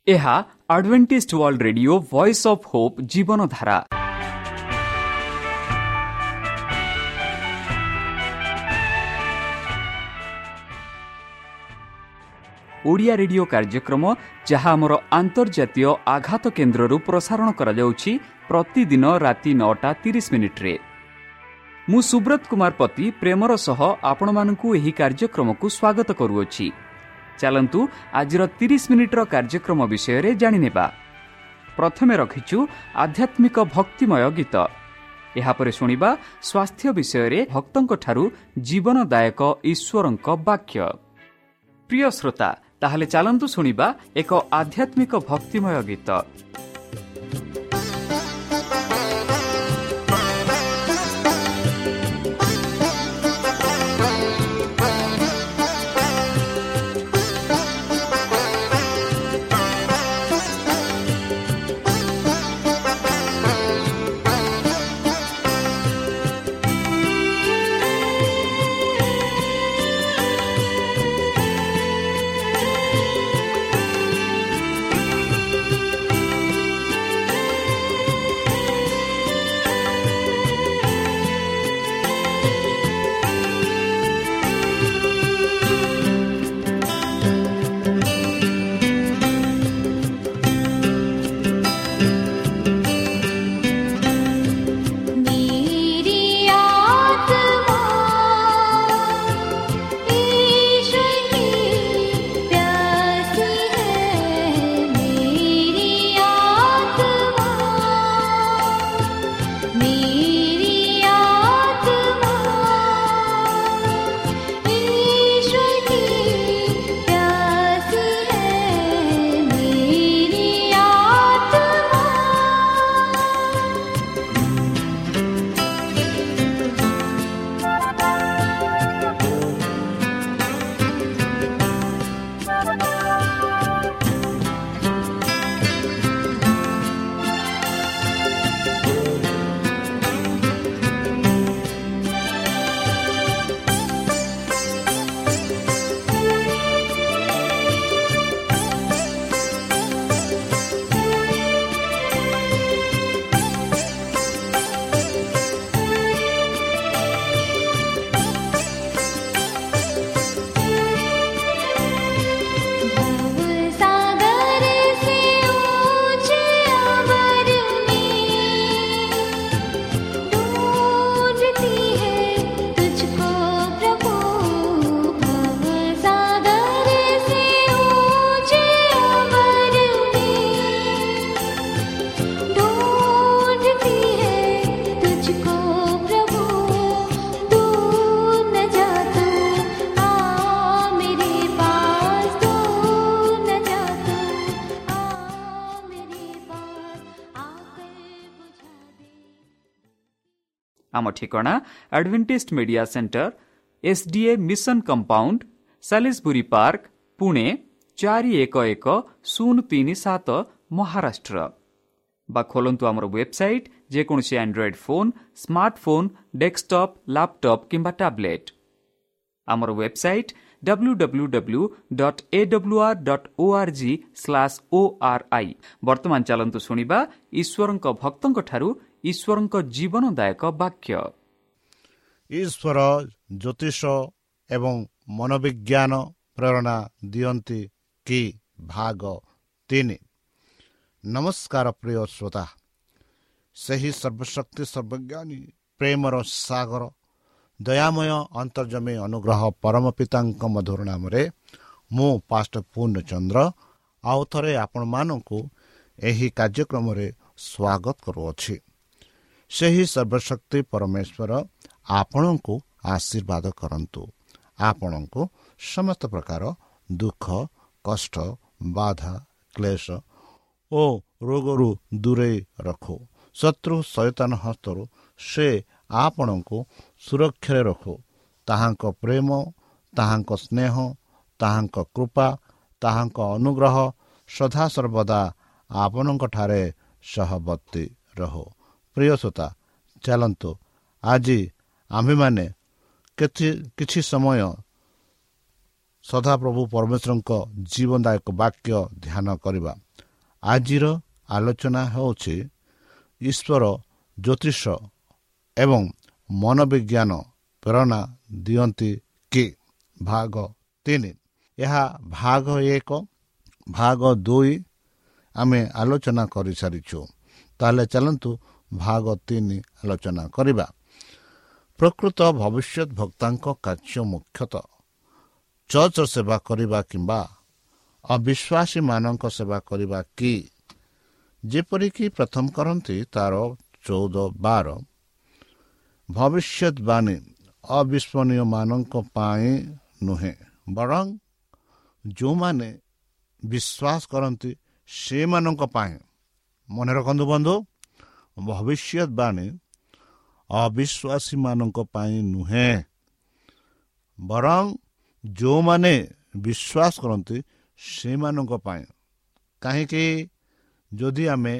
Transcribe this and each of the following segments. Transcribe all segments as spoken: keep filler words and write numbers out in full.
ଏହା Adventist World Radio Voice of Hope Jeevandhara. Odia radio କାର୍ଯ୍ୟକ୍ରମ ଯାହା ଆମର ଆନ୍ତର୍ଜାତୀୟ ଆଘାତ କେନ୍ଦ୍ରରୁ ପ୍ରସାରଣ କରାଯାଉଛି ପ୍ରତିଦିନ ରାତି ନଅଟା ତିରିଶ ମିନିଟ୍ରେ। ମୁଁ ସୁବ୍ରତ କୁମାର ପତି ପ୍ରେମର ସହ ଆପଣମାନଙ୍କୁ ଏହି କାର୍ଯ୍ୟକ୍ରମକୁ ସ୍ୱାଗତ କରୁଅଛି। ଚାଲନ୍ତୁ ଆଜିର ତିରିଶ ମିନିଟ୍ର କାର୍ଯ୍ୟକ୍ରମ ବିଷୟରେ ଜାଣିନେବା। ପ୍ରଥମେ ରଖିଛୁ ଆଧ୍ୟାତ୍ମିକ ଭକ୍ତିମୟ ଗୀତ। ଏହାପରେ ଶୁଣିବା ସ୍ୱାସ୍ଥ୍ୟ ବିଷୟରେ ଭକ୍ତଙ୍କଠାରୁ ଜୀବନଦାୟକ ଈଶ୍ୱରଙ୍କ ବାକ୍ୟ। ପ୍ରିୟ ଶ୍ରୋତା, ତାହେଲେ ଚାଲନ୍ତୁ ଶୁଣିବା ଏକ ଆଧ୍ୟାତ୍ମିକ ଭକ୍ତିମୟ ଗୀତ। ଆମ ଠିକଣା Adventist Media Centre, S D A Mission Compound, Salisbury Park, Pune ଚାରି ଏକ ଏକ ଶୂନ ତିନି ସାତ, ମହାରାଷ୍ଟ୍ର। ବା ଖୋଲନ୍ତୁ ଆମର ୱେବସାଇଟ୍ ଯେକୌଣସି Android phone, smartphone, desktop, laptop କିମ୍ବା ଟ୍ୟାବ୍ଲେଟ୍। ଆମର website W W W dot A W R dot O R G slash O R I. ବର୍ତ୍ତମାନ ଚାଲନ୍ତୁ ଶୁଣିବା ଈଶ୍ୱରଙ୍କ ଭକ୍ତଙ୍କଠାରୁ ଈଶ୍ୱରଙ୍କ ଜୀବନଦାୟକ ବାକ୍ୟ। ଈଶ୍ୱର ଜ୍ୟୋତିଷ ଏବଂ ମନୋବିଜ୍ଞାନ ପ୍ରେରଣା ଦିଅନ୍ତି କି, ଭାଗ ତିନି। ନମସ୍କାର ପ୍ରିୟ ଶ୍ରୋତା, ସେହି ସର୍ବଶକ୍ତି ସର୍ବଜ୍ଞାନୀ ପ୍ରେମର ସାଗର ଦୟାମୟ ଅନ୍ତର୍ଜମୀ ଅନୁଗ୍ରହ ପରମ ପିତାଙ୍କ ମଧୁର ନାମରେ ମୁଁ ପାଷ୍ଟର ପୂର୍ଣ୍ଣଚନ୍ଦ୍ର ଆଉ ଥରେ ଆପଣମାନଙ୍କୁ ଏହି କାର୍ଯ୍ୟକ୍ରମରେ ସ୍ୱାଗତ କରୁଅଛି। ସେହି ସର୍ବଶକ୍ତି ପରମେଶ୍ୱର ଆପଣଙ୍କୁ ଆଶୀର୍ବାଦ କରନ୍ତୁ, ଆପଣଙ୍କୁ ସମସ୍ତ ପ୍ରକାର ଦୁଃଖ, କଷ୍ଟ, ବାଧା, କ୍ଲେଶ ଓ ରୋଗରୁ ଦୂରେଇ ରଖୁ। ଶତ୍ରୁ ଶୟତାନ ହସ୍ତରୁ ସେ ଆପଣଙ୍କୁ ସୁରକ୍ଷାରେ ରଖୁ। ତାହାଙ୍କ ପ୍ରେମ, ତାହାଙ୍କ ସ୍ନେହ, ତାହାଙ୍କ କୃପା, ତାହାଙ୍କ ଅନୁଗ୍ରହ ସଦାସର୍ବଦା ଆପଣଙ୍କଠାରେ ସହବର୍ତ୍ତୀ ରହୁ। ପ୍ରିୟ ଶ୍ରୋତା, ଚାଲନ୍ତୁ ଆଜି ଆମ୍ଭେମାନେ କିଛି ସମୟ ସଦାପ୍ରଭୁ ପରମେଶ୍ୱରଙ୍କ ଜୀବନଦାୟକ ବାକ୍ୟ ଧ୍ୟାନ କରିବା। ଆଜିର ଆଲୋଚନା ହେଉଛି ଈଶ୍ୱର ଜ୍ୟୋତିଷ ଏବଂ ମନୋବିଜ୍ଞାନ ପ୍ରେରଣା ଦିଅନ୍ତି କି, ଭାଗ ତିନି। ଏହା ଭାଗ ଏକ, ଭାଗ ଦୁଇ ଆମେ ଆଲୋଚନା କରିସାରିଛୁ। ତାହେଲେ ଚାଲନ୍ତୁ ଭାଗ ତିନି ଆଲୋଚନା କରିବା। ପ୍ରକୃତ ଭବିଷ୍ୟତ ଭକ୍ତାଙ୍କ କାର୍ଯ୍ୟ ମୁଖ୍ୟତଃ ଚର୍ଚ୍ଚ ସେବା କରିବା କିମ୍ବା ଅବିଶ୍ୱାସୀମାନଙ୍କ ସେବା କରିବା କି? ଯେପରିକି ପ୍ରଥମ କରନ୍ତି ତାର ଚଉଦ ବାର, ଭବିଷ୍ୟତବାଣୀ ଅବିସ୍ମରଣୀୟମାନଙ୍କ ପାଇଁ ନୁହେଁ, ବରଂ ଯେଉଁମାନେ ବିଶ୍ୱାସ କରନ୍ତି ସେମାନଙ୍କ ପାଇଁ। ମନେ ରଖନ୍ତୁ ବନ୍ଧୁ, ଭବିଷ୍ୟତବାଣୀ ଅବିଶ୍ୱାସୀମାନଙ୍କ ପାଇଁ ନୁହେଁ, ବରଂ ଯେଉଁମାନେ ବିଶ୍ୱାସ କରନ୍ତି ସେମାନଙ୍କ ପାଇଁ। କାହିଁକି? ଯଦି ଆମେ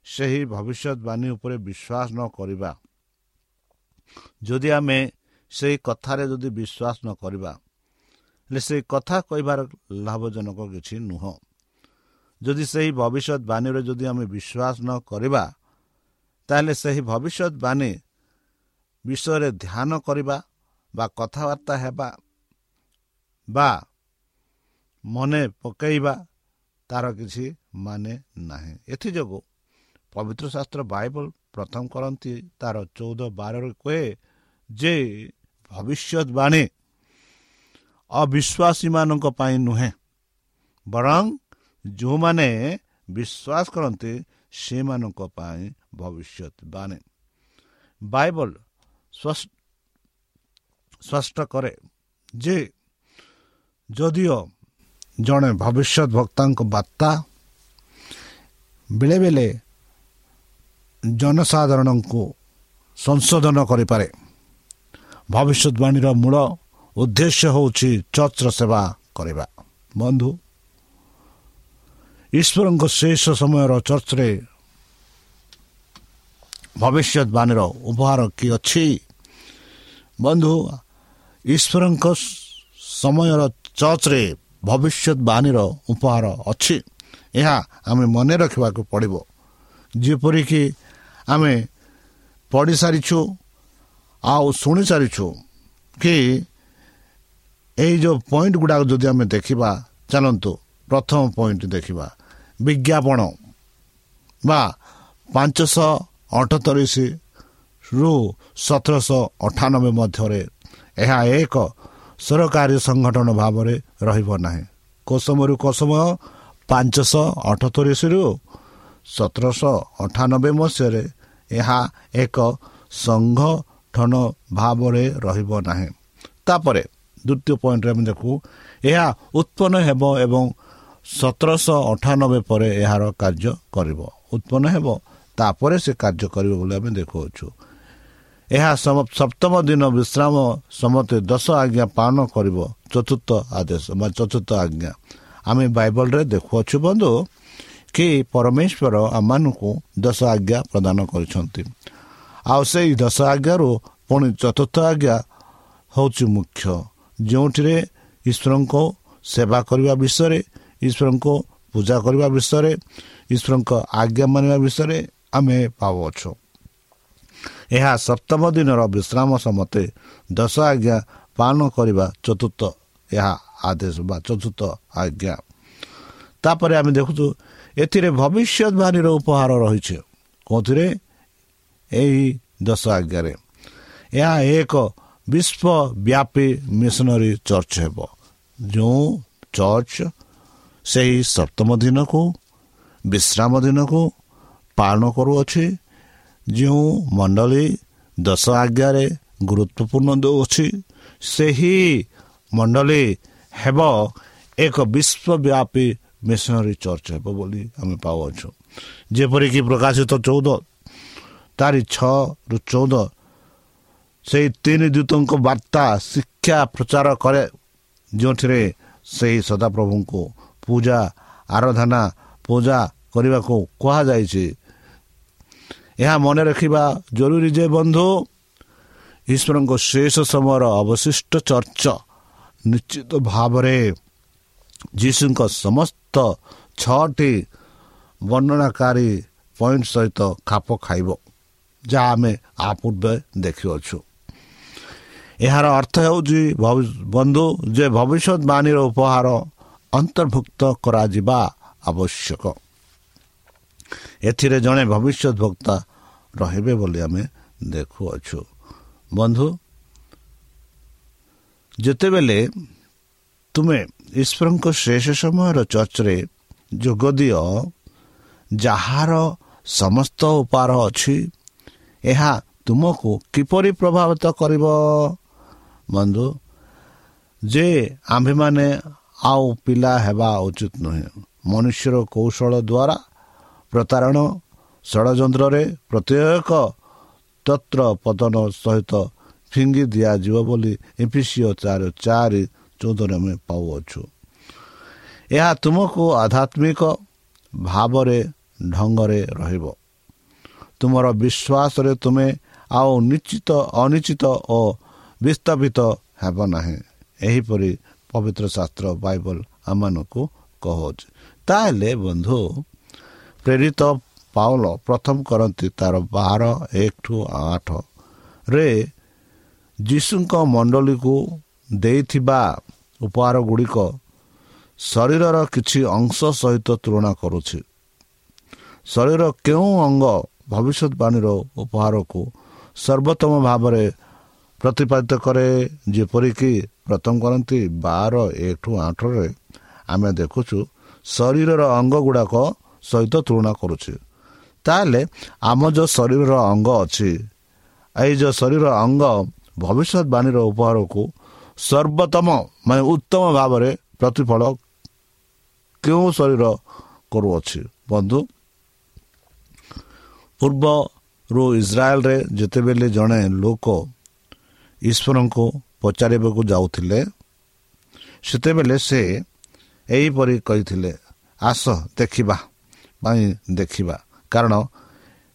ସେହି ଭବିଷ୍ୟତବାଣୀ ଉପରେ ବିଶ୍ୱାସ ନ କରିବା, ଯଦି ଆମେ ସେଇ କଥାରେ ଯଦି ବିଶ୍ୱାସ ନ କରିବା, ହେଲେ ସେଇ କଥା କହିବାର ଲାଭଜନକ କିଛି ନୁହଁ। ଯଦି ସେହି ଭବିଷ୍ୟତବାଣୀରେ ଯଦି ଆମେ ବିଶ୍ୱାସ ନ କରିବା, ତାହେଲେ ସେହି ଭବିଷ୍ୟତବାଣୀ ବିଷୟରେ ଧ୍ୟାନ କରିବା ବା କଥାବାର୍ତ୍ତା ହେବା ବା ମନେ ପକାଇବା ତାର କିଛି ମାନେ ନାହିଁ। ଏଥିଯୋଗୁଁ ପବିତ୍ର ଶାସ୍ତ୍ର ବାଇବଲ ପ୍ରଥମ କରନ୍ତି ତାର ଚଉଦ ବାରରେ କୁହେ ଯେ ଭବିଷ୍ୟତବାଣୀ ଅବିଶ୍ୱାସୀମାନଙ୍କ ପାଇଁ ନୁହେଁ, ବରଂ ଯେଉଁମାନେ ବିଶ୍ୱାସ କରନ୍ତି ସେମାନଙ୍କ ପାଇଁ ଭବିଷ୍ୟତବାଣୀ। ବାଇବଲ ସ୍ପଷ୍ଟ କରେ ଯେ ଯଦିଓ ଜଣେ ଭବିଷ୍ୟତ ବକ୍ତାଙ୍କ ବାର୍ତ୍ତା ବେଳେବେଳେ ଜନସାଧାରଣଙ୍କୁ ସଂଶୋଧନ କରିପାରେ, ଭବିଷ୍ୟତବାଣୀର ମୂଳ ଉଦ୍ଦେଶ୍ୟ ହେଉଛି ଚର୍ଚ୍ଚର ସେବା କରିବା। ବନ୍ଧୁ, ଈଶ୍ୱରଙ୍କ ଶେଷ ସମୟର ଚର୍ଚ୍ଚରେ ଭବିଷ୍ୟତବାଣୀର ଉପହାର କି ଅଛି? ବନ୍ଧୁ, ଈଶ୍ୱରଙ୍କ ସମୟର ଚର୍ଚ୍ଚରେ ଭବିଷ୍ୟତବାଣୀର ଉପହାର ଅଛି, ଏହା ଆମେ ମନେ ରଖିବାକୁ ପଡ଼ିବ। ଯେପରିକି ଆମେ ପଢ଼ି ସାରିଛୁ ଆଉ ଶୁଣି ସାରିଛୁ କି ଏଇ ଯେଉଁ ପଏଣ୍ଟ ଗୁଡ଼ାକ ଯଦି ଆମେ ଦେଖିବା, ଚାଲନ୍ତୁ ପ୍ରଥମ ପଏଣ୍ଟ ଦେଖିବା। ବିଜ୍ଞାପନ ବା ପାଞ୍ଚଶହ ଅଠତିରିଶରୁ ସତରଶହ ଅଠାନବେ ମଧ୍ୟରେ ଏହା ଏକ ସରକାରୀ ସଂଗଠନ ଭାବରେ ରହିବ ନାହିଁ। କେଉଁ ସମୟରୁ କେଉଁ ସମୟ? ପାଞ୍ଚଶହ ଅଠତିରିଶରୁ ସତରଶହ ଅଠାନବେ ମସିହାରେ ଏହା ଏକ ସଂଗଠନ ଭାବରେ ରହିବ ନାହିଁ। ତାପରେ ଦ୍ୱିତୀୟ ପଏଣ୍ଟରେ ଆମେ ଦେଖୁ, ଏହା ଉତ୍ପନ୍ନ ହେବ ଏବଂ ସତରଶହ ଅଠାନବେ ପରେ ଏହାର କାର୍ଯ୍ୟ କରିବ। ଉତ୍ପନ୍ନ ହେବ, ତାପରେ ସେ କାର୍ଯ୍ୟ କରିବ ବୋଲି ଆମେ ଦେଖୁଅଛୁ। ଏହା ସପ୍ତମ ଦିନ ବିଶ୍ରାମ ସମସ୍ତେ ଦଶ ଆଜ୍ଞା ପାଳନ କରିବ, ଚତୁର୍ଥ ଆଦେଶ ବା ଚତୁର୍ଥ ଆଜ୍ଞା। ଆମେ ବାଇବଲରେ ଦେଖୁଅଛୁ ବନ୍ଧୁ କି ପରମେଶ୍ୱର ଆମମାନଙ୍କୁ ଦଶ ଆଜ୍ଞା ପ୍ରଦାନ କରିଛନ୍ତି। ଆଉ ସେଇ ଦଶ ଆଜ୍ଞାରୁ ପୁଣି ଚତୁର୍ଥ ଆଜ୍ଞା ହେଉଛି ମୁଖ୍ୟ, ଯେଉଁଥିରେ ଈଶ୍ୱରଙ୍କ ସେବା କରିବା ବିଷୟରେ, ଈଶ୍ୱରଙ୍କ ପୂଜା କରିବା ବିଷୟରେ, ଈଶ୍ୱରଙ୍କ ଆଜ୍ଞା ମାନିବା ବିଷୟରେ ଆମେ ପାଉଅଛୁ। ଏହା ସପ୍ତମ ଦିନର ବିଶ୍ରାମ ସମସ୍ତେ ଦଶ ଆଜ୍ଞା ପାଳନ କରିବା ଚତୁର୍ଥ ଏହା ଆଦେଶ ବା ଚତୁର୍ଥ ଆଜ୍ଞା। ତାପରେ ଆମେ ଦେଖୁଛୁ ଏଥିରେ ଭବିଷ୍ୟତବାଣୀର ଉପହାର ରହିଛି। କେଉଁଥିରେ? ଏହି ଦଶ ଆଜ୍ଞାରେ। ଏହା ଏକ ବିଶ୍ୱବ୍ୟାପୀ ମିଶନାରୀ ଚର୍ଚ୍ଚ ହେବ, ଯେଉଁ ଚର୍ଚ୍ଚ ସେହି ସପ୍ତମ ଦିନକୁ ବିଶ୍ରାମ ଦିନକୁ ପାଳନ କରୁଅଛି, ଯେଉଁ ମଣ୍ଡଳୀ ଦଶ ଆଜ୍ଞାରେ ଗୁରୁତ୍ୱପୂର୍ଣ୍ଣ ଦେଉଅଛି, ସେହି ମଣ୍ଡଳୀ ହେବ ଏକ ବିଶ୍ୱବ୍ୟାପୀ ମିଶନାରୀ ଚର୍ଚ୍ଚ ହେବ ବୋଲି ଆମେ ପାଉଅଛୁ। ଯେପରିକି ପ୍ରକାଶିତ ଚଉଦ ତାରି ଛଅରୁ ଚଉଦ ସେଇ ତିନି ଦୂତଙ୍କ ବାର୍ତ୍ତା ଶିକ୍ଷା ପ୍ରଚାର କରେ, ଯେଉଁଥିରେ ସେହି ସଦାପ୍ରଭୁଙ୍କୁ ପୂଜା ଆରାଧନା ପୂଜା କରିବାକୁ କୁହାଯାଇଛି। ଏହା ମନେ ରଖିବା ଜରୁରୀ ଯେ ବନ୍ଧୁ, ଈଶ୍ୱରଙ୍କ ଶେଷ ସମୟର ଅବଶିଷ୍ଟ ଚର୍ଚ୍ଚ ନିଶ୍ଚିତ ଭାବରେ ଯୀଶୁଙ୍କ ସମସ୍ତ ଛଅଟି ବର୍ଣ୍ଣନାକାରୀ ପଏଣ୍ଟ ସହିତ ଖାପ ଖାଇବ, ଯାହା ଆମେ ଆ ପୂର୍ବେ ଦେଖିଅଛୁ। ଏହାର ଅର୍ଥ ହେଉଛି ବନ୍ଧୁ ଯେ ଭବିଷ୍ୟତବାଣୀର ଉପହାର ଅନ୍ତର୍ଭୁକ୍ତ କରାଯିବା ଆବଶ୍ୟକ। ଏଥିରେ ଜଣେ ଭବିଷ୍ୟତ ବକ୍ତା ରହିବେ ବୋଲି ଆମେ ଦେଖୁଅଛୁ। ବନ୍ଧୁ, ଯେତେବେଳେ ତୁମେ ଈଶ୍ୱରଙ୍କ ଶେଷ ସମୟର ଚର୍ଚ୍ଚରେ ଯୋଗ ଦିଅ, ଯାହାର ସମସ୍ତ ଉପହାର ଅଛି, ଏହା ତୁମକୁ କିପରି ପ୍ରଭାବିତ କରିବ? ବନ୍ଧୁ, ଯେ ଆମ୍ଭେମାନେ ଆଉ ପିଲା ହେବା ଉଚିତ ନୁହେଁ। ମନୁଷ୍ୟର କୌଶଳ ଦ୍ୱାରା ପ୍ରତାରଣ ଷଡ଼ଯନ୍ତ୍ରରେ ପ୍ରତ୍ୟେକ ତତ୍ର ପତନ ସହିତ ଫିଙ୍ଗି ଦିଆଯିବ ବୋଲି ଏଫିସୀୟ ଚାରି ଚାରି ଚଉଦରେ ଆମେ ପାଉଅଛୁ। ଏହା ତୁମକୁ ଆଧ୍ୟାତ୍ମିକ ଭାବରେ ଢଙ୍ଗରେ ରହିବ। ତୁମର ବିଶ୍ୱାସରେ ତୁମେ ଆଉ ନିଶ୍ଚିତ ଅନିଶ୍ଚିତ ଓ ବିସ୍ଥାପିତ ହେବ ନାହିଁ। ଏହିପରି ପବିତ୍ର ଶାସ୍ତ୍ର ବାଇବଲ ଆମମାନଙ୍କୁ କହୁଛି। ତାହେଲେ ବନ୍ଧୁ, ପ୍ରେରିତ ପାଉଲ ପ୍ରଥମ କରନ୍ତି ତାର ବାର ଏକଠୁ ଆଠରେ ଯୀଶୁଙ୍କ ମଣ୍ଡଳୀକୁ ଦେଇଥିବା ଉପହାର ଗୁଡ଼ିକ ଶରୀରର କିଛି ଅଂଶ ସହିତ ତୁଳନା କରୁଛି। ଶରୀର କେଉଁ ଅଙ୍ଗ ଭବିଷ୍ୟତବାଣୀର ଉପହାରକୁ ସର୍ବୋତ୍ତମ ଭାବରେ ପ୍ରତିପାଦିତ କରେ? ଯେପରିକି ପ୍ରଥମ କରନ୍ତି ବାର ଏକଠୁ ଆଠରେ ଆମେ ଦେଖୁଛୁ ଶରୀରର ଅଙ୍ଗ ଗୁଡ଼ାକ ସହିତ ତୁଳନା କରୁଛି। ତାହେଲେ ଆମ ଯେଉଁ ଶରୀରର ଅଙ୍ଗ ଅଛି, ଏଇ ଯେଉଁ ଶରୀର ଅଙ୍ଗ ଭବିଷ୍ୟତବାଣୀର ଉପହାରକୁ ସର୍ବୋତ୍ତମ ମାନେ ଉତ୍ତମ ଭାବରେ ପ୍ରତିଫଳ କେଉଁ ଶରୀର କରୁଅଛି? ବନ୍ଧୁ, ପୂର୍ବରୁ ଇସ୍ରାଏଲରେ ଯେତେବେଳେ ଜଣେ ଲୋକ ଈଶ୍ୱରଙ୍କୁ ପଚାରିବାକୁ ଯାଉଥିଲେ, ସେତେବେଳେ ସେ ଏହିପରି କହିଥିଲେ, ଆସ ଦେଖିବା ପାଇଁ ଦେଖିବା। କାରଣ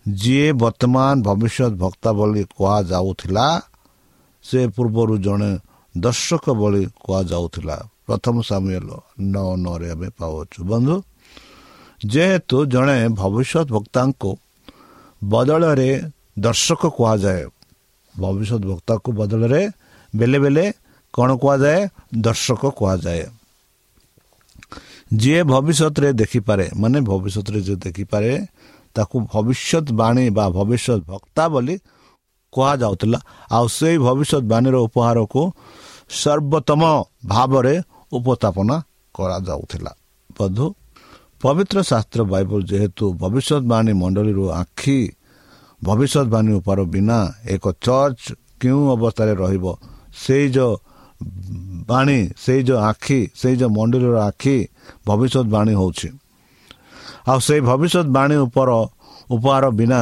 ଯିଏ ବର୍ତ୍ତମାନ ଭବିଷ୍ୟତ ବକ୍ତା ବୋଲି କୁହାଯାଉଥିଲା, ସେ ପୂର୍ବରୁ ଜଣେ ଦର୍ଶକ ବୋଲି କୁହାଯାଉଥିଲା। ପ୍ରଥମ ସାମୁଏଲ ନଅ ନଅରେ ଆମେ ପାଉଅଛୁ। ବନ୍ଧୁ, ଯେହେତୁ ଜଣେ ଭବିଷ୍ୟତ ବକ୍ତାଙ୍କୁ ବଦଳରେ ଦର୍ଶକ କୁହାଯାଏ, ଭବିଷ୍ୟତ ବକ୍ତାକୁ ବଦଳରେ ବେଲେ ବେଲେ କ'ଣ କୁହାଯାଏ? ଦର୍ଶକ କୁହାଯାଏ। ଯିଏ ଭବିଷ୍ୟତରେ ଦେଖିପାରେ, ମାନେ ଭବିଷ୍ୟତରେ ଯିଏ ଦେଖିପାରେ ତାକୁ ଭବିଷ୍ୟତବାଣୀ ବା ଭବିଷ୍ୟତ ବକ୍ତା ବୋଲି କୁହାଯାଉଥିଲା। ଆଉ ସେଇ ଭବିଷ୍ୟତବାଣୀର ଉପହାରକୁ ସର୍ବୋତ୍ତମ ଭାବରେ ଉପସ୍ଥାପନା କରାଯାଉଥିଲା। ବନ୍ଧୁ, ପବିତ୍ର ଶାସ୍ତ୍ର ବାଇବଲ ଯେହେତୁ ଭବିଷ୍ୟତବାଣୀ ମଣ୍ଡଳୀରୁ ଆଖି ଭବିଷ୍ୟତବାଣୀ ଉପହାର ବିନା ଏକ ଚର୍ଚ୍ଚ କେଉଁ ଅବସ୍ଥାରେ ରହିବ, ସେଇ ଯେଉଁ ବାଣୀ, ସେଇ ଯେଉଁ ଆଖି, ସେଇ ଯେଉଁ ମଣ୍ଡଳୀର ଆଖି ଭବିଷ୍ୟତବାଣୀ ହେଉଛି। ଆଉ ସେଇ ଭବିଷ୍ୟତବାଣୀ ଉପର ଉପହାର ବିନା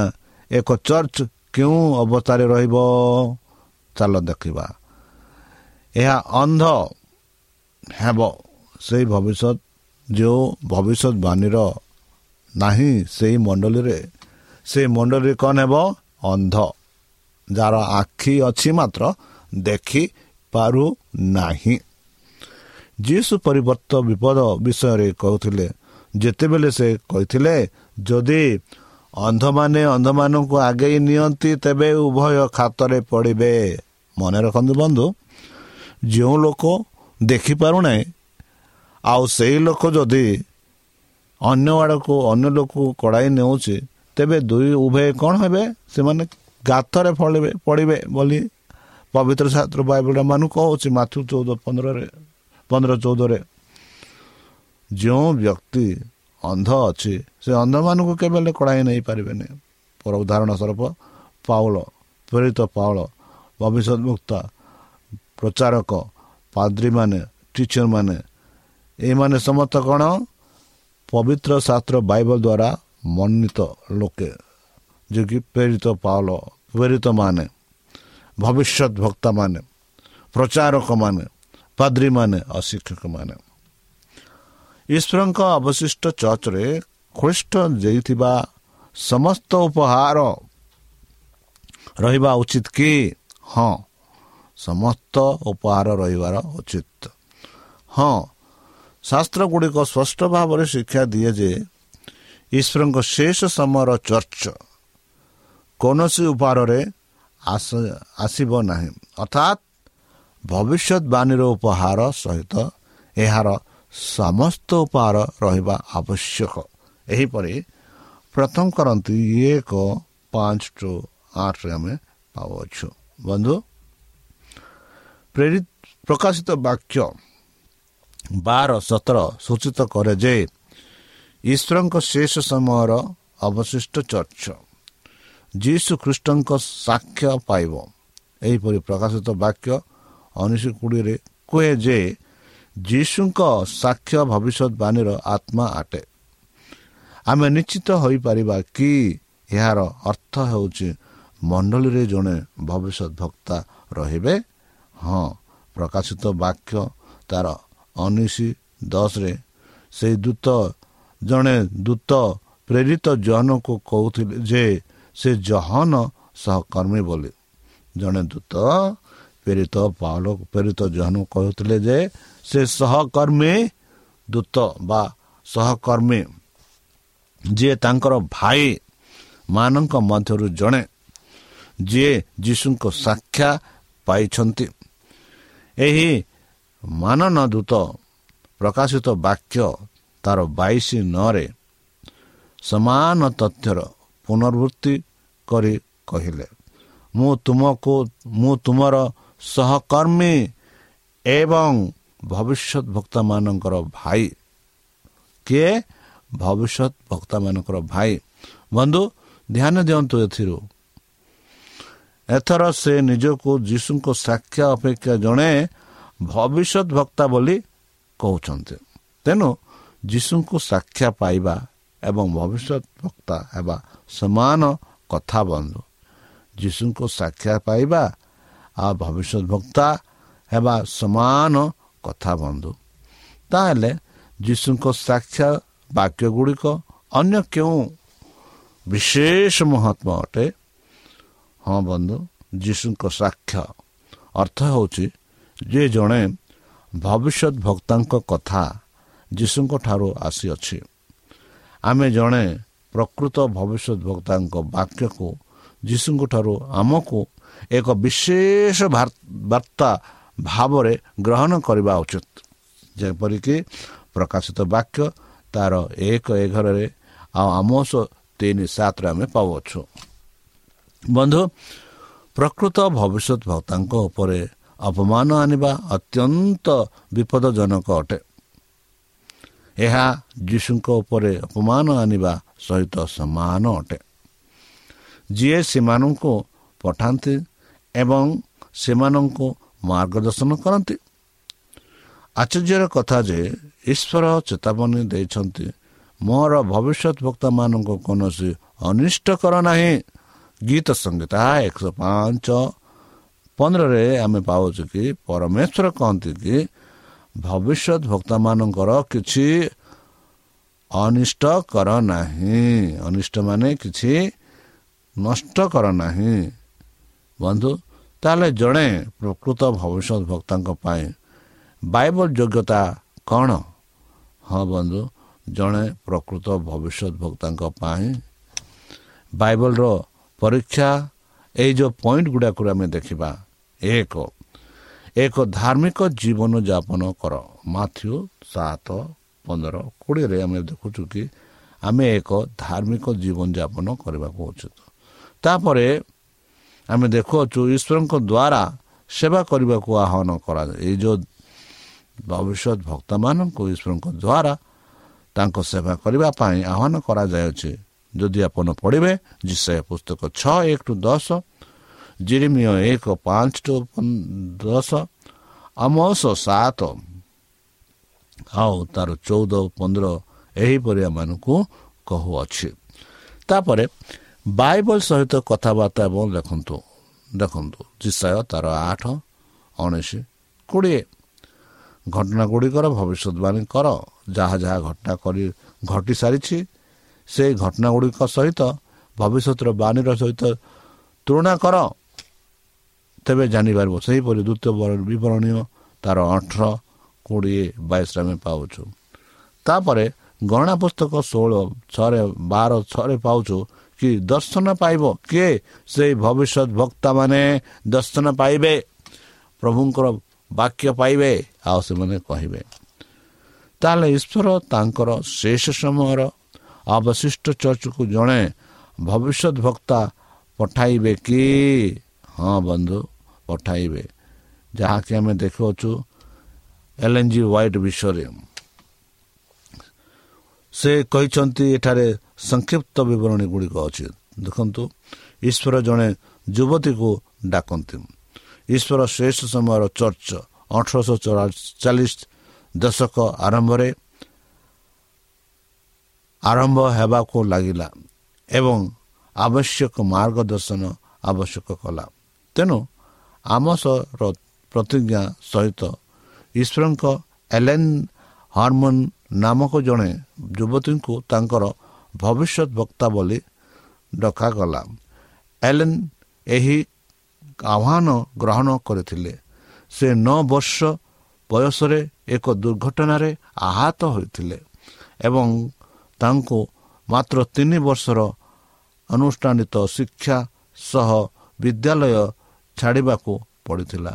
ଏକ ଚର୍ଚ୍ଚ କେଉଁ ଅବସ୍ଥାରେ ରହିବ? ଚାଲ ଦେଖିବା। ଏହା ଅନ୍ଧ ହେବ। ସେଇ ଭବିଷ୍ୟତ ଯେଉଁ ଭବିଷ୍ୟତବାଣୀର ନାହିଁ ସେଇ ମଣ୍ଡଳୀରେ, ସେଇ ମଣ୍ଡଳୀରେ କ'ଣ ହେବ? ଅନ୍ଧ, ଯାହାର ଆଖି ଅଛି ମାତ୍ର ଦେଖି ପାରୁନାହିଁ। ଯୀଶୁ ପରିବର୍ତ୍ତ ବିପଦ ବିଷୟରେ କହୁଥିଲେ ଯେତେବେଳେ ସେ କହିଥିଲେ, ଯଦି ଅନ୍ଧମାନେ ଅନ୍ଧମାନଙ୍କୁ ଆଗେଇ ନିଅନ୍ତି ତେବେ ଉଭୟ ଖାତରେ ପଡ଼ିବେ। ମନେ ରଖନ୍ତୁ ବନ୍ଧୁ, ଯେଉଁ ଲୋକ ଦେଖିପାରୁନାହିଁ ଆଉ ସେଇ ଲୋକ ଯଦି ଅନ୍ୟ ଆଡ଼କୁ ଅନ୍ୟ ଲୋକକୁ କଡ଼ାଇ ନେଉଛି, ତେବେ ଦୁଇ ଉଭୟ କ'ଣ ହେବେ? ସେମାନେ ଗାତରେ ଫଳିବେ ପଡ଼ିବେ ବୋଲି ପବିତ୍ର ଶାସ୍ତ୍ର ବାଇବଲ ମାନଙ୍କୁ କହୁଛି। ମାଥ୍ୟୁ ଚଉଦ ପନ୍ଦରରେ ପନ୍ଦର ଚଉଦରେ ଯେଉଁ ବ୍ୟକ୍ତି ଅନ୍ଧ ଅଛି ସେ ଅନ୍ଧମାନଙ୍କୁ କେବେ ହେଲେ କଡ଼ାଇ ନେଇପାରିବେନି। ପର ଉଦାହରଣ ସ୍ୱରୂପ ପାଉଲ, ପ୍ରେରିତ ପାଉଲ, ଭବିଷ୍ୟତ ବକ୍ତା, ପ୍ରଚାରକ, ପାଦ୍ରୀମାନେ, ଟିଚରମାନେ, ଏମାନେ ସମସ୍ତ କ'ଣ ପବିତ୍ର ଶାସ୍ତ୍ର ବାଇବଲ ଦ୍ୱାରା ମନୋନୀତ ଲୋକେ, ଯିଏକି ପ୍ରେରିତ ପାଉଲ, ପ୍ରେରିତମାନେ, ଭବିଷ୍ୟତ ବକ୍ତାମାନେ, ପ୍ରଚାରକମାନେ, ପାଦ୍ରୀମାନେ ଆଉ ଶିକ୍ଷକମାନେ। ଈଶ୍ୱରଙ୍କ ଅବଶିଷ୍ଟ ଚର୍ଚ୍ଚରେ ଖ୍ରୀଷ୍ଟ ଦେଇଥିବା ସମସ୍ତ ଉପହାର ରହିବା ଉଚିତ କି? ହଁ, ସମସ୍ତ ଉପହାର ରହିବାର ଉଚିତ। ହଁ, ଶାସ୍ତ୍ର ଗୁଡ଼ିକ ସ୍ପଷ୍ଟ ଭାବରେ ଶିକ୍ଷା ଦିଏ ଯେ ଈଶ୍ୱରଙ୍କ ଶେଷ ସମୟର ଚର୍ଚ୍ଚ କୌଣସି ଉପହାରରେ ଆସିବ ନାହିଁ, ଅର୍ଥାତ୍ ଭବିଷ୍ୟତବାଣୀର ଉପହାର ସହିତ ଏହାର ସମସ୍ତ ଉପହାର ରହିବା ଆବଶ୍ୟକ। ଏହିପରି ପ୍ରଥମ କରନ୍ତି ଏକ ପାଞ୍ଚ ଟୁ ଆଠରେ ଆମେ ପାଉଅଛୁ। ବନ୍ଧୁ, ପ୍ରେରିତ ପ୍ରକାଶିତ ବାକ୍ୟ ବାର ସତର ସୂଚିତ କରେ ଯେ ଈଶ୍ୱରଙ୍କ ଶେଷ ସମୟର ଅବଶିଷ୍ଟ ଚର୍ଚ୍ଚ ଯୀଶୁ ଖ୍ରୀଷ୍ଟଙ୍କ ସାକ୍ଷ୍ୟ ପାଇବ। ଏହିପରି ପ୍ରକାଶିତ ବାକ୍ୟ ଉଣେଇଶ କୋଡ଼ିଏରେ କୁହେ ଯେ ଯୀଶୁଙ୍କ ସାକ୍ଷ୍ୟ ଭବିଷ୍ୟତବାଣୀର ଆତ୍ମା ଅଟେ। ଆମେ ନିଶ୍ଚିତ ହୋଇପାରିବା କି ଏହାର ଅର୍ଥ ହେଉଛି ମଣ୍ଡଳୀରେ ଜଣେ ଭବିଷ୍ୟତ ବକ୍ତା ରହିବେ? ହଁ, ପ୍ରକାଶିତ ବାକ୍ୟ ତାର ଉଣେଇଶ ଦଶରେ ସେଇ ଦୂତ ଜଣେ ଦୂତ ପ୍ରେରିତ ଜନକୁ କହୁଥିଲେ ଯେ ସେ ଜହନ ସହକର୍ମୀ ବୋଲି। ଜଣେ ଦୂତ ପ୍ରେରିତ ପାଉଲ ପ୍ରେରିତ ଜହନ କହୁଥିଲେ ଯେ ସେ ସହକର୍ମୀ ଦୂତ ବା ସହକର୍ମୀ, ଯିଏ ତାଙ୍କର ଭାଇ ମାନଙ୍କ ମଧ୍ୟରୁ ଜଣେ, ଯିଏ ଯୀଶୁଙ୍କ ସାକ୍ଷା ପାଇଛନ୍ତି। ଏହି ମାନନ ଦୂତ ପ୍ରକାଶିତ ବାକ୍ୟ ତାର ବାଇଶ ନଅରେ ସମାନ ତଥ୍ୟର ପୁନରାବୃତ୍ତି କରି କହିଲେ, ମୁଁ ତୁମକୁ ମୁଁ ତୁମର ସହକର୍ମୀ ଏବଂ ଭବିଷ୍ୟତ ବକ୍ତାମାନଙ୍କର ଭାଇ। କିଏ? ଭବିଷ୍ୟତ ବକ୍ତାମାନଙ୍କର ଭାଇ। ବନ୍ଧୁ, ଧ୍ୟାନ ଦିଅନ୍ତୁ, ଏଥିରୁ ଏଥର ସେ ନିଜକୁ ଯୀଶୁଙ୍କ ସାକ୍ଷା ଅପେକ୍ଷା ଜଣେ ଭବିଷ୍ୟତ ବକ୍ତା ବୋଲି କହୁଛନ୍ତି। ତେଣୁ ଯୀଶୁଙ୍କୁ ସାକ୍ଷା ପାଇବା ଏବଂ ଭବିଷ୍ୟତ ବକ୍ତା ହେବା ସମାନ କଥା। ବନ୍ଧୁ, ଯୀଶୁଙ୍କୁ ସାକ୍ଷା ପାଇବା ଆଉ ଭବିଷ୍ୟତ ବକ୍ତା ହେବା ସମାନ କଥା। ବନ୍ଧୁ, ତାହେଲେ ଯୀଶୁଙ୍କ ସାକ୍ଷା ବାକ୍ୟ ଗୁଡ଼ିକ ଅନ୍ୟ କେଉଁ ବିଶେଷ ମହତ୍ଵ ଅଟେ? ହଁ ବନ୍ଧୁ, ଯୀଶୁଙ୍କ ସାକ୍ଷ୍ୟ ଅର୍ଥ ହେଉଛି ଯେ ଜଣେ ଭବିଷ୍ୟତ ବକ୍ତାଙ୍କ କଥା ଯୀଶୁଙ୍କ ଠାରୁ ଆସିଅଛି। ଆମେ ଜଣେ ପ୍ରକୃତ ଭବିଷ୍ୟତ ବକ୍ତାଙ୍କ ବାକ୍ୟକୁ ଯୀଶୁଙ୍କ ଠାରୁ ଆମକୁ ଏକ ବିଶେଷ ବାର୍ତ୍ତା ଭାବରେ ଗ୍ରହଣ କରିବା ଉଚିତ, ଯେପରିକି ପ୍ରକାଶିତ ବାକ୍ୟ ତାର ଏକ ଏଗାରରେ ଆଉ ଆମୋସ ତିନି ସାତରେ ଆମେ ପାଉଅଛୁ। ବନ୍ଧୁ, ପ୍ରକୃତ ଭବିଷ୍ୟତ ବକ୍ତାଙ୍କ ଉପରେ ଅପମାନ ଆଣିବା ଅତ୍ୟନ୍ତ ବିପଦଜନକ ଅଟେ। ଏହା ଯୀଶୁଙ୍କ ଉପରେ ଅପମାନ ଆଣିବା ସହିତ ସମାନ ଅଟେ। ଯିଏ ସେମାନଙ୍କୁ ପଠାନ୍ତି ଏବଂ ସେମାନଙ୍କୁ ମାର୍ଗଦର୍ଶନ କରନ୍ତି। ଆଶ୍ଚର୍ଯ୍ୟର କଥା ଯେ ଈଶ୍ୱର ଚେତାବନୀ ଦେଇଛନ୍ତି, ମୋର ଭବିଷ୍ୟତ ବକ୍ତାମାନଙ୍କୁ କୌଣସି ଅନିଷ୍ଟ କର ନାହିଁ। ଗୀତ ସଂହିତା ଏକଶହ ପାଞ୍ଚ ପନ୍ଦରରେ ଆମେ ପାଉଛୁ କି ପରମେଶ୍ୱର କହନ୍ତି କି ଭବିଷ୍ୟତ ବକ୍ତାମାନଙ୍କର କିଛି ଅନିଷ୍ଟ କର ନାହିଁ। ଅନିଷ୍ଟ ମାନେ କିଛି ନଷ୍ଟ କର ନାହିଁ। ବନ୍ଧୁ, ତାହେଲେ ଜଣେ ପ୍ରକୃତ ଭବିଷ୍ୟତ ବକ୍ତାଙ୍କ ପାଇଁ ବାଇବଲ ଯୋଗ୍ୟତା କ'ଣ? ହଁ ବନ୍ଧୁ, ଜଣେ ପ୍ରକୃତ ଭବିଷ୍ୟତ ବକ୍ତାଙ୍କ ପାଇଁ ବାଇବଲର ପରୀକ୍ଷା ଏଇ ଯେଉଁ ପଏଣ୍ଟ ଗୁଡ଼ାକୁ ଆମେ ଦେଖିବା। ଏକ, ଏକ ଧାର୍ମିକ ଜୀବନ ଯାପନ କର। ମାଥ୍ୟୁ ସାତ ପନ୍ଦର କୋଡ଼ିଏରେ ଆମେ ଦେଖୁଛୁ କି ଆମେ ଏକ ଧାର୍ମିକ ଜୀବନଯାପନ କରିବାକୁ ଉଚିତ। ତାପରେ ଆମେ ଦେଖୁଅଛୁ ଈଶ୍ୱରଙ୍କ ଦ୍ୱାରା ସେବା କରିବାକୁ ଆହ୍ୱାନ କରାଯାଏ। ଏଇ ଯେଉଁ ଭବିଷ୍ୟତ ଭକ୍ତମାନଙ୍କୁ ଈଶ୍ୱରଙ୍କ ଦ୍ୱାରା ତାଙ୍କ ସେବା କରିବା ପାଇଁ ଆହ୍ୱାନ କରାଯାଉଅଛି। ଯଦି ଆପଣ ପଢ଼ିବେ ଯିଶାଇୟ ପୁସ୍ତକ ଛଅ ଏକ ଟୁ ଦଶ, ଜିରିମିୟ ଏକ ପାଞ୍ଚ ଟୁ ଦଶ, ଆମୋସ ସାତ ଆଉ ତାର ଚଉଦ ପନ୍ଦର ଏହିପରି ଆମମାନଙ୍କୁ କହୁଅଛି। ତାପରେ ବାଇବଲ ସହିତ କଥାବାର୍ତ୍ତା ଏବଂ ଲେଖନ୍ତୁ। ଦେଖନ୍ତୁ ଯିଶାଇୟ ତାର ଆଠ ଉଣେଇଶ କୋଡ଼ିଏ, ଘଟଣା ଗୁଡ଼ିକର ଭବିଷ୍ୟତବାଣୀ କର। ଯାହା ଯାହା ଘଟଣା କରି ଘଟି ସାରିଛି ସେଇ ଘଟଣା ଗୁଡ଼ିକ ସହିତ ଭବିଷ୍ୟତର ବାଣୀର ସହିତ ତୁଳନା କର, ତେବେ ଜାଣିପାରିବ। ସେହିପରି ଦ୍ୱିତୀୟ ବିବରଣୀୟ ତାର ଅଠର କୋଡ଼ିଏ ବାଇଶରେ ଆମେ ପାଉଛୁ। ତାପରେ ଗଣନା ପୁସ୍ତକ ଷୋହଳ ଛଅରେ ବାର ଛଅରେ ପାଉଛୁ କି ଦର୍ଶନ ପାଇବ କିଏ? ସେଇ ଭବିଷ୍ୟତ ବକ୍ତାମାନେ ଦର୍ଶନ ପାଇବେ, ପ୍ରଭୁଙ୍କର ବାକ୍ୟ ପାଇବେ ଆଉ ସେମାନେ କହିବେ। ତାହେଲେ ଈଶ୍ୱର ତାଙ୍କର ଶେଷ ସମୟର ଅବଶିଷ୍ଟ ଚର୍ଚ୍ଚକୁ ଜଣେ ଭବିଷ୍ୟତ ବକ୍ତା ପଠାଇବେ କି? ହଁ ବନ୍ଧୁ, ପଠାଇବେ, ଯାହାକି ଆମେ ଦେଖୁଅଛୁ ଏଲ୍ ଏନ୍ ଜି ହ୍ୱାଇଟ୍ ବିଷୟରେ। ସେ କହିଛନ୍ତି, ଏଠାରେ ସଂକ୍ଷିପ୍ତ ବିବରଣୀ ଗୁଡ଼ିକ ଅଛି, ଦେଖନ୍ତୁ। ଈଶ୍ୱର ଜଣେ ଯୁବତୀକୁ ଡାକନ୍ତି। ଈଶ୍ୱର ଶେଷ ସମୟର ଚର୍ଚ୍ଚ ଅଠରଶହ ଚାଳିଶ ଦଶକ ଆରମ୍ଭରେ ଆରମ୍ଭ ହେବାକୁ ଲାଗିଲା ଏବଂ ଆବଶ୍ୟକ ମାର୍ଗଦର୍ଶନ ଆବଶ୍ୟକ କଲା। ତେଣୁ ଆମସର ପ୍ରତିଜ୍ଞା ସହିତ ଈଶ୍ୱରଙ୍କ ଏଲେନ୍ ହାରମନ୍ ନାମକ ଜଣେ ଯୁବତୀଙ୍କୁ ତାଙ୍କର ଭବିଷ୍ୟତ ବକ୍ତା ବୋଲି ଡକାଗଲା। ଏଲେନ୍ ଏହି ଆହ୍ୱାନ ଗ୍ରହଣ କରିଥିଲେ। ସେ ନଅ ବର୍ଷ ବୟସରେ ଏକ ଦୁର୍ଘଟଣାରେ ଆହତ ହୋଇଥିଲେ ଏବଂ ତାଙ୍କୁ ମାତ୍ର ତିନି ବର୍ଷର ଆନୁଷ୍ଠାନିକ ଶିକ୍ଷା ସହ ବିଦ୍ୟାଳୟ ଛାଡ଼ିବାକୁ ପଡ଼ିଥିଲା।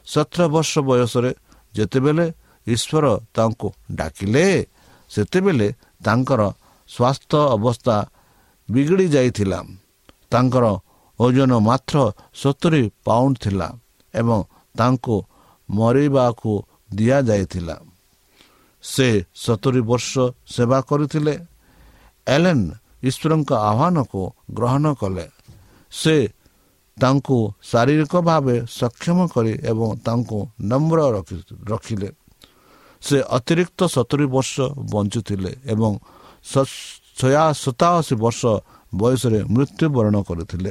ସତର ବର୍ଷ ବୟସରେ ଯେତେବେଳେ ଈଶ୍ୱର ତାଙ୍କୁ ଡାକିଲେ, ସେତେବେଳେ ତାଙ୍କର ସ୍ୱାସ୍ଥ୍ୟ ଅବସ୍ଥା ବିଗିଡ଼ି ଯାଇଥିଲା। ତାଙ୍କର ଓଜନ ମାତ୍ର ସତୁରି ପାଉଣ୍ଡ ଥିଲା ଏବଂ ତାଙ୍କୁ ମରିବାକୁ ଦିଆଯାଇଥିଲା। ସେ ସତୁରି ବର୍ଷ ସେବା କରିଥିଲେ। ଏଲେନ୍ ଈଶ୍ୱରଙ୍କ ଆହ୍ୱାନକୁ ଗ୍ରହଣ କଲେ। ସେ ତାଙ୍କୁ ଶାରୀରିକ ଭାବେ ସକ୍ଷମ କରି ଏବଂ ତାଙ୍କୁ ନମ୍ର ରଖିଲେ। ସେ ଅତିରିକ୍ତ ସତୁରି ବର୍ଷ ବଞ୍ଚୁଥିଲେ ଏବଂ ସତାଅଶୀ ବର୍ଷ ବୟସରେ ମୃତ୍ୟୁବରଣ କରିଥିଲେ।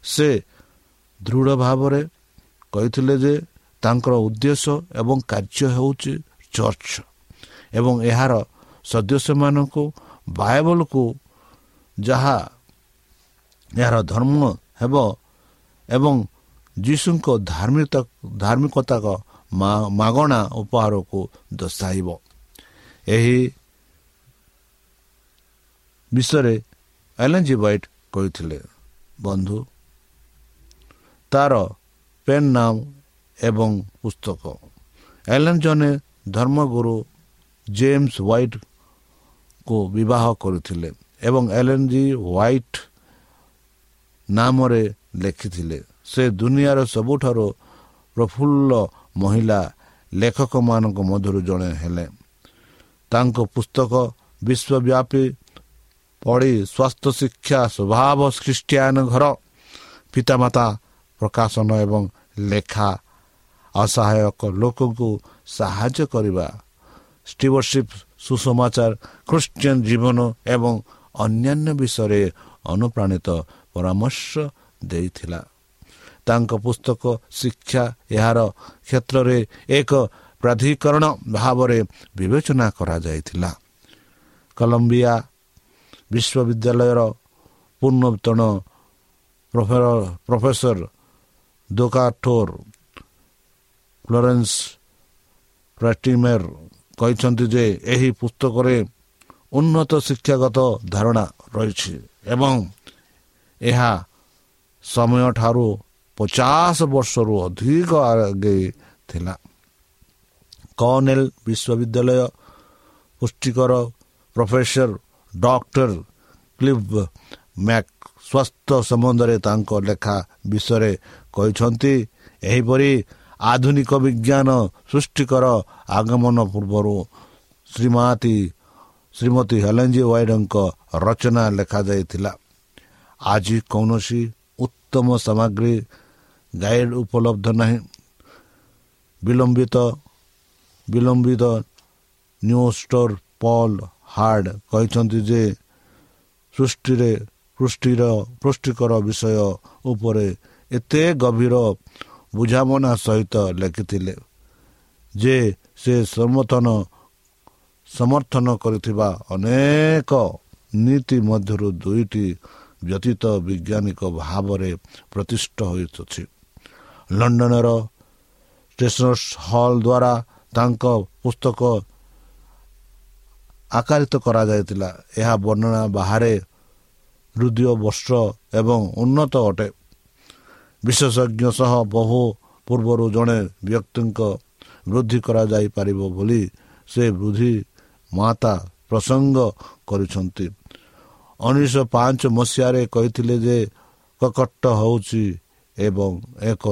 ସେ ଦୃଢ଼ ଭାବରେ କହିଥିଲେ ଯେ ତାଙ୍କର ଉଦ୍ଦେଶ୍ୟ ଏବଂ କାର୍ଯ୍ୟ ହେଉଛି ଚର୍ଚ୍ଚ ଏବଂ ଏହାର ସଦସ୍ୟମାନଙ୍କୁ ବାଇବଲକୁ, ଯାହା ଏହାର ଧର୍ମ ହେବ, ଏବଂ ଯୀଶୁଙ୍କ ଧାର୍ମିକ ଧାର୍ମିକତା ମାଗଣା ଉପହାରକୁ ଦର୍ଶାଇବ। ଏହି ବିଷୟରେ ଏଲେନ୍ ଜି ହ୍ୱାଇଟ୍ କହିଥିଲେ। ବନ୍ଧୁ, ତାର ପେନ୍ ନାମ ଏବଂ ପୁସ୍ତକ। ଏଲେନ୍ ଜଣେ ଧର୍ମଗୁରୁ ଜେମ୍ସ ହ୍ୱାଇଟ୍କୁ ବିବାହ କରିଥିଲେ ଏବଂ ଏଲେନ୍ ଜି ହ୍ୱାଇଟ୍ ନାମରେ ଲେଖିଥିଲେ। ସେ ଦୁନିଆର ସବୁଠାରୁ ପ୍ରଫୁଲ୍ଲ ମହିଳା ଲେଖକମାନଙ୍କ ମଧ୍ୟରୁ ଜଣେ ହେଲେ। ତାଙ୍କ ପୁସ୍ତକ ବିଶ୍ୱବ୍ୟାପୀ ପଢ଼ି ସ୍ୱାସ୍ଥ୍ୟ ଶିକ୍ଷା, ସ୍ୱଭାବ, ଖ୍ରୀଷ୍ଟିଆନ ଘର, ପିତାମାତା, ପ୍ରକାଶନ ଏବଂ ଲେଖା, ଅସହାୟକ ଲୋକଙ୍କୁ ସାହାଯ୍ୟ କରିବା, ଷ୍ଟିୱାର୍ଡସିପ୍, ସୁସମାଚାର, ଖ୍ରୀଷ୍ଟିଆନ ଜୀବନ ଏବଂ ଅନ୍ୟାନ୍ୟ ବିଷୟରେ ଅନୁପ୍ରାଣିତ ପରାମର୍ଶ ଦେଇଥିଲା। ତାଙ୍କ ପୁସ୍ତକ ଶିକ୍ଷା ଏହାର କ୍ଷେତ୍ରରେ ଏକ ପ୍ରାଧିକରଣ ଭାବରେ ବିବେଚନା କରାଯାଇଥିଲା। କଲମ୍ବିଆ ବିଶ୍ୱବିଦ୍ୟାଳୟର ପୂର୍ବତନ ପ୍ରଫେସର ଡକ୍ଟର ଫ୍ଲୋରେନ୍ସ ପ୍ରାଟିମେର କହିଛନ୍ତି ଯେ ଏହି ପୁସ୍ତକରେ ଉନ୍ନତ ଶିକ୍ଷାଗତ ଧାରଣା ରହିଛି ଏବଂ ଏହା ସମୟଠାରୁ ପଚାଶ ବର୍ଷରୁ ଅଧିକ ଆଗେଇ ଥିଲା। କର୍ଣ୍ଣେଲ ବିଶ୍ୱବିଦ୍ୟାଳୟ ପୁଷ୍ଟିକର ପ୍ରଫେସର ଡକ୍ଟର କ୍ଲିଭ୍ ମ୍ୟାକ୍ ସ୍ୱାସ୍ଥ୍ୟ ସମ୍ବନ୍ଧରେ ତାଙ୍କ ଲେଖା ବିଷୟରେ କହିଛନ୍ତି ଏହିପରି, ଆଧୁନିକ ବିଜ୍ଞାନ ସୃଷ୍ଟିକର ଆଗମନ ପୂର୍ବରୁ ଶ୍ରୀମତୀ ଶ୍ରୀମତୀ ହେଲେନ୍ ଜି ୱାଇଡଙ୍କ ରଚନା ଲେଖାଯାଇଥିଲା। ଆଜି କୌଣସି ଉତ୍ତମ ସାମଗ୍ରୀ ଗାଇଡ୍ ଉପଲବ୍ଧ ନାହିଁ। ବିଲମ୍ବିତ ବିଲମ୍ବିତ ନ୍ୟୁଷ୍ଟୋର ପଲ୍ ହାର୍ଡ କହିଛନ୍ତି ଯେ ସୃଷ୍ଟିରେ ପୃଷ୍ଟିର ପୁଷ୍ଟିକର ବିଷୟ ଉପରେ ଏତେ ଗଭୀର ବୁଝାମଣା ସହିତ ଲେଖିଥିଲେ ଯେ ସେ ସମର୍ଥନ ସମର୍ଥନ କରିଥିବା ଅନେକ ନୀତି ମଧ୍ୟରୁ ଦୁଇଟି ବ୍ୟତୀତ ବୈଜ୍ଞାନିକ ଭାବରେ ପ୍ରତିଷ୍ଠା ହୋଇଅଛି। ଲଣ୍ଡନର ଷ୍ଟେସନର୍ସ ହଲ୍ ଦ୍ୱାରା ତାଙ୍କ ପୁସ୍ତକ ଆକାରିତ କରାଯାଇଥିଲା। ଏହା ବର୍ଣ୍ଣନା ବାହାରେ ହୃଦୟ ବସ୍ତ୍ର ଏବଂ ଉନ୍ନତ ଅଟେ। ବିଶେଷଜ୍ଞ ସହ ବହୁ ପୂର୍ବରୁ ଜଣେ ବ୍ୟକ୍ତିଙ୍କ ବୃଦ୍ଧି କରାଯାଇପାରିବ ବୋଲି ସେ ବୃଦ୍ଧି ମାତା ପ୍ରସଙ୍ଗ କରିଛନ୍ତି। ଉଣେଇଶହ ପାଞ୍ଚ ମସିହାରେ କହିଥିଲେ ଯେ କକଟ ହେଉଛି ଏବଂ ଏକ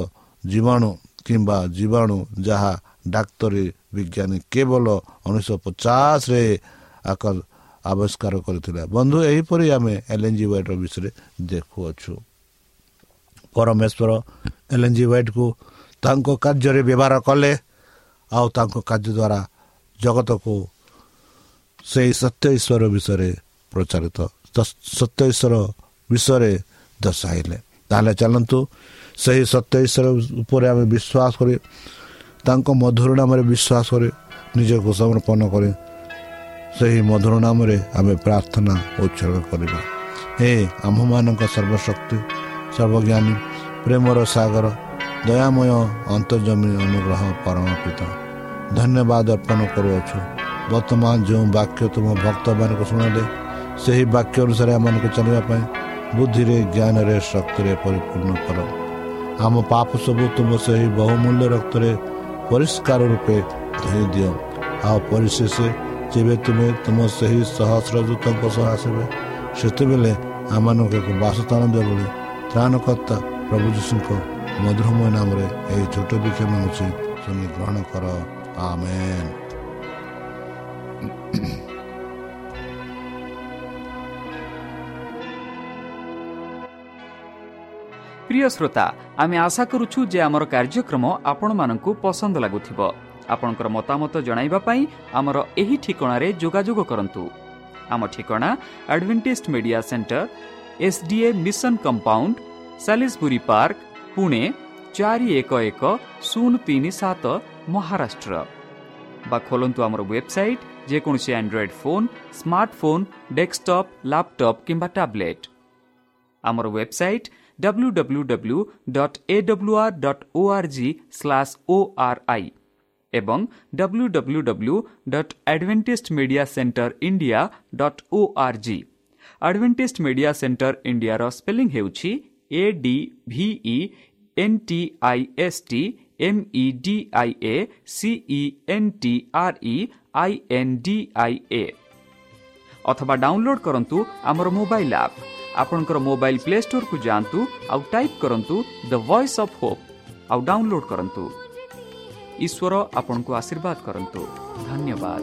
ଜୀବାଣୁ କିମ୍ବା ଜୀବାଣୁ ଯାହା ଡାକ୍ତରୀ ବିଜ୍ଞାନୀ କେବଳ ଉଣେଇଶହ ପଚାଶରେ ଆବିଷ୍କାର କରିଥିଲା। ବନ୍ଧୁ, ଏହିପରି ଆମେ ଏଲ୍ ଏନ୍ ଜି ହ୍ୱାଇଟ୍ର ବିଷୟରେ ଦେଖୁଅଛୁ। ପରମେଶ୍ୱର ଏଲ୍ ଏନ୍ ଜି ହ୍ୱାଇଟ୍କୁ ତାଙ୍କ କାର୍ଯ୍ୟରେ ବ୍ୟବହାର କଲେ ଆଉ ତାଙ୍କ କାର୍ଯ୍ୟ ଦ୍ୱାରା ଜଗତକୁ ସେଇ ସତ୍ୟ ଈଶ୍ୱର ବିଷୟରେ ପ୍ରଚାରିତ, ସତ୍ୟ ଈଶ୍ୱର ବିଷୟରେ ଦର୍ଶାଇଲେ। ତାହେଲେ ଚାଲନ୍ତୁ, ସେହି ସତ୍ୟ ଈଶ୍ୱର ଉପରେ ଆମେ ବିଶ୍ୱାସ କରି, ତାଙ୍କ ମଧୁର ନାମରେ ବିଶ୍ୱାସ କରି, ନିଜକୁ ସମର୍ପଣ କରି ସେହି ମଧୁର ନାମରେ ଆମେ ପ୍ରାର୍ଥନା ଉତ୍ସର୍ଗ କରିବା। ହେ ଆମ୍ଭମାନଙ୍କ ସର୍ବଶକ୍ତି, ସର୍ବଜ୍ଞାନୀ, ପ୍ରେମର ସାଗର, ଦୟାମୟ, ଅନ୍ତର୍ଯ୍ୟାମୀ, ଅନୁଗ୍ରହ ପରମ ପିତା, ଧନ୍ୟବାଦ ଅର୍ପଣ କରୁଅଛୁ। ବର୍ତ୍ତମାନ ଯେଉଁ ବାକ୍ୟ ତୁମ ଭକ୍ତମାନଙ୍କୁ ଶୁଣାଇଲେ, ସେହି ବାକ୍ୟ ଅନୁସାରେ ଆମମାନଙ୍କୁ ଚାଲିବା ପାଇଁ ବୁଦ୍ଧିରେ, ଜ୍ଞାନରେ, ଶକ୍ତିରେ ପରିପୂର୍ଣ୍ଣ କର। ଆମ ପାପ ସବୁ ତୁମ ସେହି ବହୁମୂଲ୍ୟ ରକ୍ତରେ ପରିଷ୍କାର ରୂପେ ଧୋଇ ଦିଅ। ଆଉ ପରିଶେଷ ଯେବେ ତୁମେ ତୁମ ସେହି ସହସ୍ର ଦୂତଙ୍କ ସହ ଆସିବେ, ସେତେବେଳେ ଆମମାନଙ୍କୁ ଏକ ବାସସ୍ଥାନ ଦିଅ ବୋଲି ତ୍ରାଣକର୍ତ୍ତା ପ୍ରଭୁ ଯୀଶୁଙ୍କ ମଧୁରମୟ ନାମରେ ଏହି ଛୋଟ ଭିକ୍ଷା ମାଗୁଛି, ଶୁଣି ଗ୍ରହଣ କର। ଆମେନ୍। ପ୍ରିୟ ଶ୍ରୋତା, ଆମେ ଆଶା କରୁଛୁ ଯେ ଆମର କାର୍ଯ୍ୟକ୍ରମ ଆପଣମାନଙ୍କୁ ପସନ୍ଦ ଲାଗୁଥିବ। ଆପଣଙ୍କର ମତାମତ ଜଣାଇବା ପାଇଁ ଆମର ଏହି ଠିକଣାରେ ଯୋଗାଯୋଗ କରନ୍ତୁ। ଆମ ଠିକଣା Adventist media centre, S D A mission compound, Salisbury park, Pune ଚାରି ଏକ ଏକ ଶୂନ ତିନି ସାତ, ମହାରାଷ୍ଟ୍ର। ବା ଖୋଲନ୍ତୁ ଆମର ୱେବସାଇଟ୍ ଯେକୌଣସି Android phone, smartphone, desktop, laptop କିମ୍ବା ଟ୍ୟାବ୍ଲେଟ୍। ଆମର website W W W dot A W R dot O R G slash O R I ଏବଂ W W W dot Adventist media centre India dot O R G. Adventist media centre ଇଣ୍ଡିଆର spelling ହେଉଛି A D V E N T I S T M E D I A C E N T R E I N D I A। ଅଥବା download କରନ୍ତୁ ଆମର mobile app. ଆପଣଙ୍କର mobile play ଷ୍ଟୋରକୁ ଯାଆନ୍ତୁ ଆଉ type କରନ୍ତୁ ଦ voice of Hope ଆଉ download କରନ୍ତୁ। ଈଶ୍ୱର ଆପଣଙ୍କୁ ଆଶୀର୍ବାଦ କରନ୍ତୁ। ଧନ୍ୟବାଦ।